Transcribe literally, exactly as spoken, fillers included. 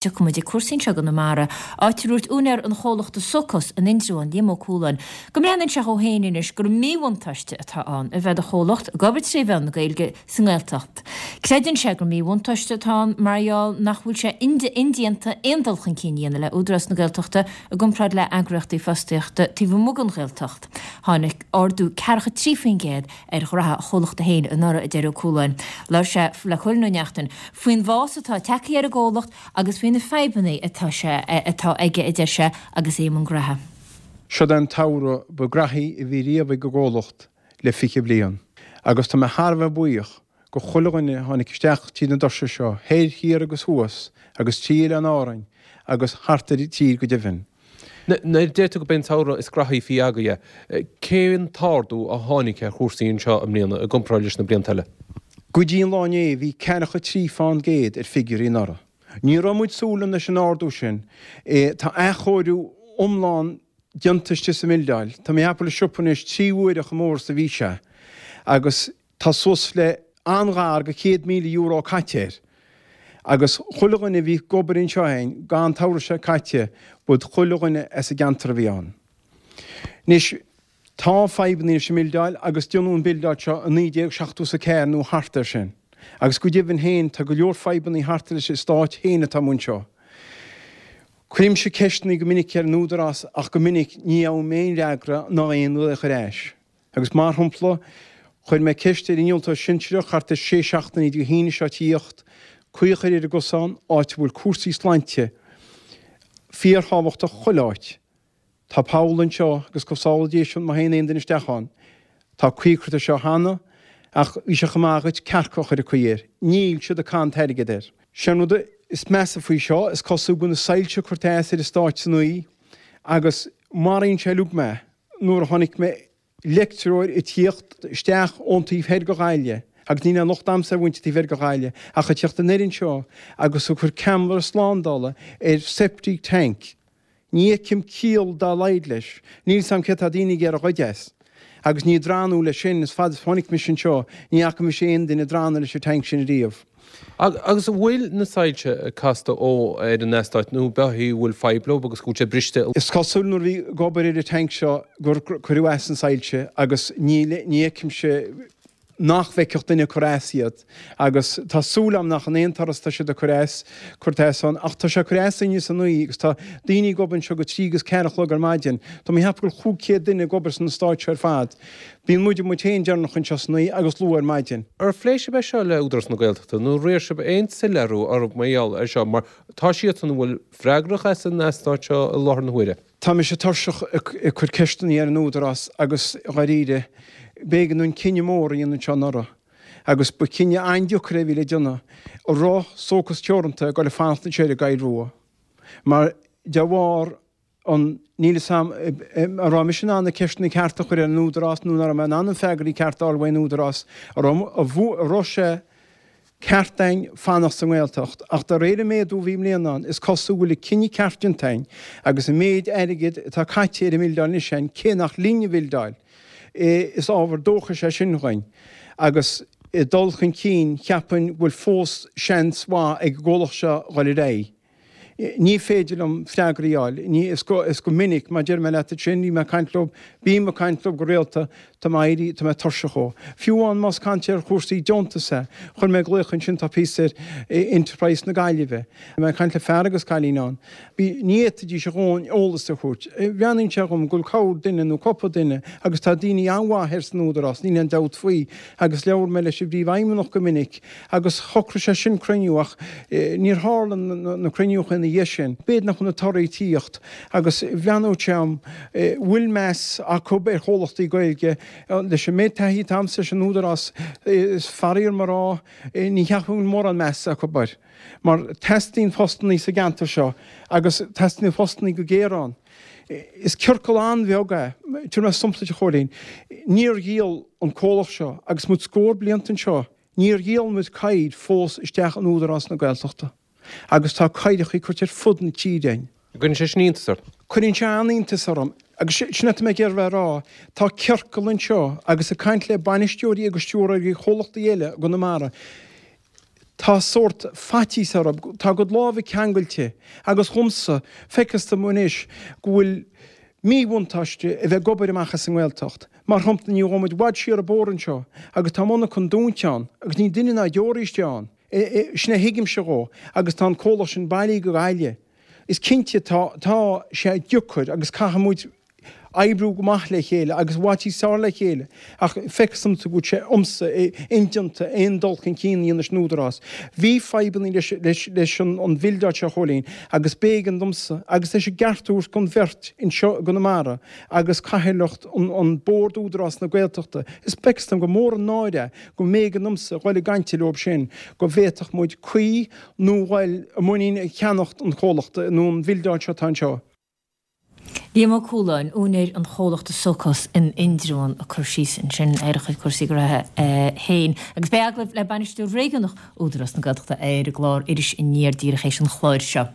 Tiocfaidh muid ag cúrsaí anseo i gConamara, áit a ndúirt úinéir an chomhlachta Socos in Indreabhán, Liam Ó Cualáin, go mbreathnaíonn sé dhó féin anois gur míbhuntáiste atá ann a bheith do chomhlacht ag obair tré mheán na Gaeilge sa nGaeltacht. Creideann sé gur míbhuntáiste atá ann mar gheall nach bhfuil sé indéanta aon dul chun cinn a dhéanamh le Údarás na Gaeltachta i gcomparáid le eagraíochtaí fostaíochta taobh amuigh den Ghaeltacht. Tháinig ardú ceathracha trí faoin gcéad ar ghraithe a chomhlachta féin anuraidh, a deir Ó Cualáin. Labhair sé le Cóilín Ó Neachtain faoin bhfás atá tagtha ar an gcomhlacht agus faoi na fadhbanna atá sé atá aige, a deir sé, agus é i mbun graithe. Seod é an tsamhradh ba ghraithí a bhí riamh ag an gcomhlacht le fiche bliain agus tá mé thar a bheith buíoch go chuile dhuine a tháinig isteach tríd na doirse seo, thoir, thiar agus thuas, agus trí Oileáin Árainn agus thart ar an tír go deimhin. Nuair a deir tú gurb é an samhradh is graithí faoi agaibh é, cén t-ardú a tháinig ar chúrsaí anseo i mbliana i gcomparáid leis na blianta eile? Go dtí an lá inné bhí ceathracha trí fán gcéad ar figiúirí anuraidh. Ní raibh muid súil leis an ardú sin. Tá athchóiriú iomlán déanta istigh sa mbildeáil. Tá mé ag ceapadh go bhfuil an siopa anois trí huaire chomh mór is a bhí sé agus tá suas le an-ghar go céad míle euro caite air. Agus chuile dhuine a bhí ag obair anseo againn an tsamhradh seo caite, b'iad chuile dhuine as an gceantar a bhí ann. Anois, tá fadhbanna leis an mbildeáil agus déanadh an bildeáil seo i naoi déag seachtó is a ceathair nó thart air sin. Agus go deimhin féin, tá go leor fadhbanna thart leis an eastát féin atá amuigh anseo. Cuirimse ceisteanna go minic ar an Údarás ach go minic ní fhaighim aon fhreagra ná aon ghlaoch ar ais. Agus mar shampla, chuir mé ceist ar an innealtóir sinsearach thart ar sé seachtainí Dé hAoine seo tíocht, caoi a chur ar an gcosán, áit a bhfuil cúrsaí sláinte fíorthábhachtach chuile áit. Tá poll anseo agus go sábhála Dia sinn má théann aon duine isteach ann. Tá caoi curtha air seo cheana ach bhí sé chomh maith dhuit cearca a chur ag caoi air. Níl siad ag caitheamh an t-airgead air. Sé an rud is measa faoi seo, is cosúil go bhfuil na soilse curtha as ar an eastát san oíche agus maraíonn sé uilig mé nuair a chonaic mé leictreoir ag tíocht isteach ón taobh thoir de Ghaillimh, agus níl aon locht a'msa ar mhuintir taobh thoir de Ghaillimh, ach ag tíocht anoir anseo agus ag cur ceamara slándála ar septic tank. Ní fheicim ciall dá laghad leis. Níl 's a'm cé tá daoine ag iarraidh a ghoid as. Agus ní ag drannadh leis sin, is fada is chonaic mise anseo, ní fhaca mise aon duine ag drannadh leis an tank sin ariamh. Agus an bhfuil na soilse casta ó ar an eastát nó ab ea go bhfuil fadhb leo agus go bhfuil sé briste? Is cosúil nuair a bhí ag obair ar an tank seo gur cuireadh as na soilse agus níl, ní fheicimse nach bhfeicfeadh duine ag cur as iad agus tá súil agam nach in aon turas tá siad ag cur as, curtha as ann ach tá sé ag cur as inniu san oíche agus tá daoine ag obair anseo go trí agus ceathair a chlog ar maidin. Tá mé ag ceapadh go bhfuil chúig chéad duine ag obair san eastát seo ar fad. Bíonn muid muid féin deireanach anseo san oíche agus luath ar maidin. Ar phléigh sibh é seo le Údarás na Gaeltachta nó ar iarr sibh aon soiléiriú orthu mar gheall ar seo mar tá siadsan a bhfuil freagrach as an eastát seo i láthair na huaire? Tá mise tuirseach ag cur ceisteanna ar an Údarás agus dháiríre, b'éigean dúinn cinneadh mór a dhéanamh anseo anuraidh agus ba chinneadh an-deacair é a bhí le déanamh, an raibh Socos Teoranta ag dul ag fanacht anseo ar an gCoill Rua mar de bharr an, níl fhios a'm an raibh mise in ann na ceisteanna cearta a chur ar an Údarás nó an raibh mé in ann an freagraí cearta a fháil uaidh an Údarás, an raibh sé ceart a'inn fanacht sa nGaeltacht ach de réir an méadú a bhí i mbliana ann is cosúil go bhfuil an cinneadh ceart déanta a'inn agus an méid airgid atá caite ar an mbildeáil anois a'inn cé nach linn an bhildeáil is ábhar dóchais é sin dhuinn agus i dul chun cinn cheapfainn go bhfuil fós seans mhaith ag an gcomhlacht seo dhul ar aghaidh. Ní féidir liom freagraí a fháil. Ní, is go, is go minic, mar deir mé leat ansin, bhí mé ag caint leo, bím ag caint leo go rialta, tá mé ag éirí, tá mé tuirseach ó. Fiú amháin más caint ar chúrsaí deontas é, chuir mé glaoch ansin, tá píosa ar Enterprise na Gaillimhe. Bhí mé ag caint le fear agus cailín ann. Bhí, ní fhéadfaidís a dhóthain eolas a thabhairt. Bhreathnaíonn sé dhom go bhfuil corr duine nó cúpla duine agus tá daoine an-mhaith thoir san Údarás, níl aon dabht faoi, agus labhair mé leis an bPríomhfheidhmeannach go minic agus shocraigh sé sin cruinniú ach níor tharla na cruinniúcha ina dhiaidh sin. B'fhéidir nach bhfuil na torthaí ag tíocht agus bhreathnódh sé dhom bhfuil meas acu ar chomhlachtaí Gaeilge. Leis an méid taithí atá a'msa leis an Údarás, is faraor dom a rá, ní cheapaim go bhfuil mórán meas acu air. Mar teastaíonn postannaí sa gceantar seo agus teastaíonn postannaí go géar ann. Is ciorcal an-bheag é. Tabharfaidh mé sampla duit a Chóilín. Níor dhíol an comhlacht seo, agus muid scór blianta anseo, níor dhíol muid caidhir fós isteach in Údarás na Gaeltachta. Agus tá caidhreachaí curtha ar fud na tíre againn. Cuireann sé sin iontas ort? Cuireann sé an-iontas orm. Agus sin atá mé ag iarraidh a rá, tá ciorcal anseo agus ag caint le bainisteoirí agus stiúrthóirí chomhlachtaí eile i gConamara, Tá sórt faitíos orthu, tá a gcuid lámha ceangailte agus dhomsa, feictear dom anois go bhfuil míbhuntáiste a bheith ag obair amach as an nGaeltacht. Mar shampla, ní ghabhfaidh muid i bhfad siar an bóthar anseo agus tá monarcha dúnta ann agus níl duine ná deoraí istigh ann. Sin a thuigimse dhó agus tá an comhlacht sin bailithe go Gaillimh. Is cinnte tá tá sé deacair agus caithfidh muid oibriú go maith le chéile agus i bhfad níos fearr le chéile ach feictear domsa go bhfuil sé domsa indéanta aon dul chun cinn a dhéanamh leis an Údarás. Bhí fadhbanna leis leis leis an an bhildeáil seo a Chóilín agus b'éigean domsa agus tá sé ceart a thabhairt don bheirt anseo i gConamara agus cathaoirleacht an an Bord Údarás na Gaeltachta is feictear dom gur mór an náire é go mb'éigean domsa dhul ag caint leo sin go bhféadfadh muid caoi nó dhul i muinín cheannacht an chomhlachta nó an bhildeáil seo atá anseo. Liam Ó Cualáin, úinéir an chomhlachta Socos in Indreabhán ag cur síos ansin ar a chuid cúrsaí gnótha féin. Agus beidh agallamh le bainisteoir réigiúnach Údarás na Gaeltachta ar an gclár Iris Aniar díreach théis an chláir seo.